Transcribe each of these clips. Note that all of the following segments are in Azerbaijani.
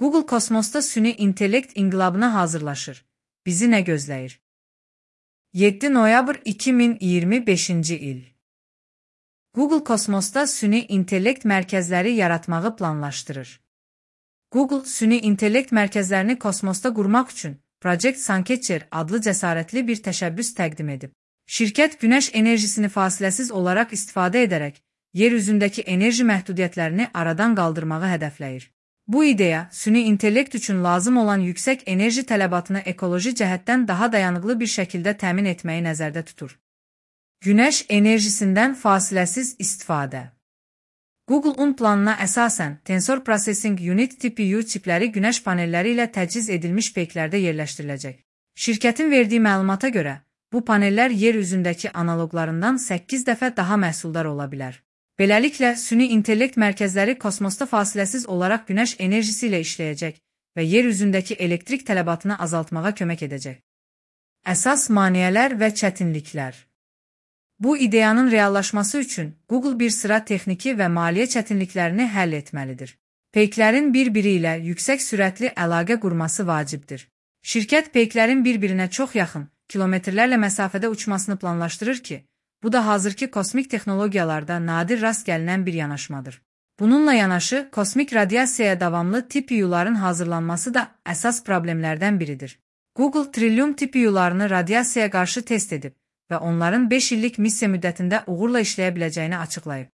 Google kosmosda süni intellekt inqilabına hazırlaşır. Bizi nə gözləyir? 7 noyabr 2025-ci il. Google kosmosda süni intellekt mərkəzləri yaratmağı planlaşdırır. Google, süni intellekt mərkəzlərini kosmosda qurmaq üçün Project Suncatcher adlı cəsarətli bir təşəbbüs təqdim edib. Şirkət günəş enerjisini fasiləsiz olaraq istifadə edərək, yer üzündəki enerji məhdudiyyətlərini aradan qaldırmağı hədəfləyir. Bu ideya, süni intellekt üçün lazım olan yüksək enerji tələbatını ekoloji cəhətdən daha dayanıqlı bir şəkildə təmin etməyi nəzərdə tutur. Günəş enerjisindən fasiləsiz istifadə. Google-un planına əsasən Tensor Processing Unit TPU çipləri günəş panelləri ilə təchiz edilmiş peyklərdə yerləşdiriləcək. Şirkətin verdiyi məlumata görə, bu panellər yer üzündəki analoqlarından 8 dəfə daha məhsuldar ola bilər. Beləliklə, süni intellekt mərkəzləri kosmosda fasiləsiz olaraq günəş enerjisi ilə işləyəcək və yer üzündəki elektrik tələbatını azaltmağa kömək edəcək. Əsas maneələr və çətinliklər. Bu ideyanın reallaşması üçün Google bir sıra texniki və maliyyə çətinliklərini həll etməlidir. Peyklərin bir-biri ilə yüksək sürətli əlaqə qurması vacibdir. Şirkət peyklərin bir-birinə çox yaxın, kilometrlərlə məsafədə uçmasını planlaşdırır ki, bu da hazırki kosmik texnologiyalarda nadir rast gəlinən bir yanaşmadır. Bununla yanaşı, kosmik radiasiyaya davamlı TPU-ların hazırlanması da əsas problemlərdən biridir. Google trilyon TPU-larını radiasiyaya qarşı test edib və onların 5 illik missiya müddətində uğurla işləyə biləcəyini açıqlayıb.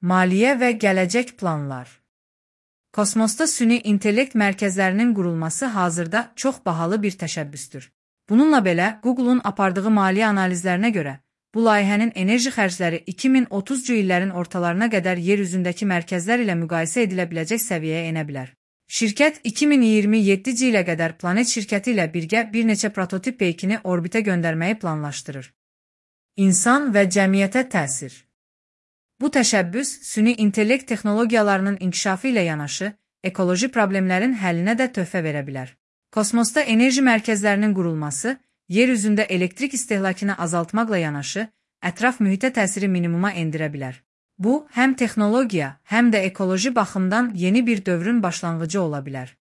Maliyyə və gələcək planlar. Kosmosda süni intellekt mərkəzlərinin qurulması hazırda çox bahalı bir təşəbbüsdür. Bununla belə, Google-un apardığı maliyyə analizlərinə görə, bu layihənin enerji xərcləri 2030-cu illərin ortalarına qədər yer üzündəki mərkəzlər ilə müqayisə edilə biləcək səviyyəyə enə bilər. Şirkət 2027-ci ilə qədər Planet şirkəti ilə birgə bir neçə prototip peykini orbitə göndərməyi planlaşdırır. İnsan və cəmiyyətə təsir. Bu təşəbbüs, süni intellekt texnologiyalarının inkişafı ilə yanaşı, ekoloji problemlərin həllinə də töhfə verə bilər. Kosmosda enerji mərkəzlərinin qurulması, yer üzündə elektrik istehlakını azaltmaqla yanaşı, ətraf mühitə təsiri minimuma endirə bilər. Bu, həm texnologiya, həm də ekoloji baxımdan yeni bir dövrün başlanğıcı ola bilər.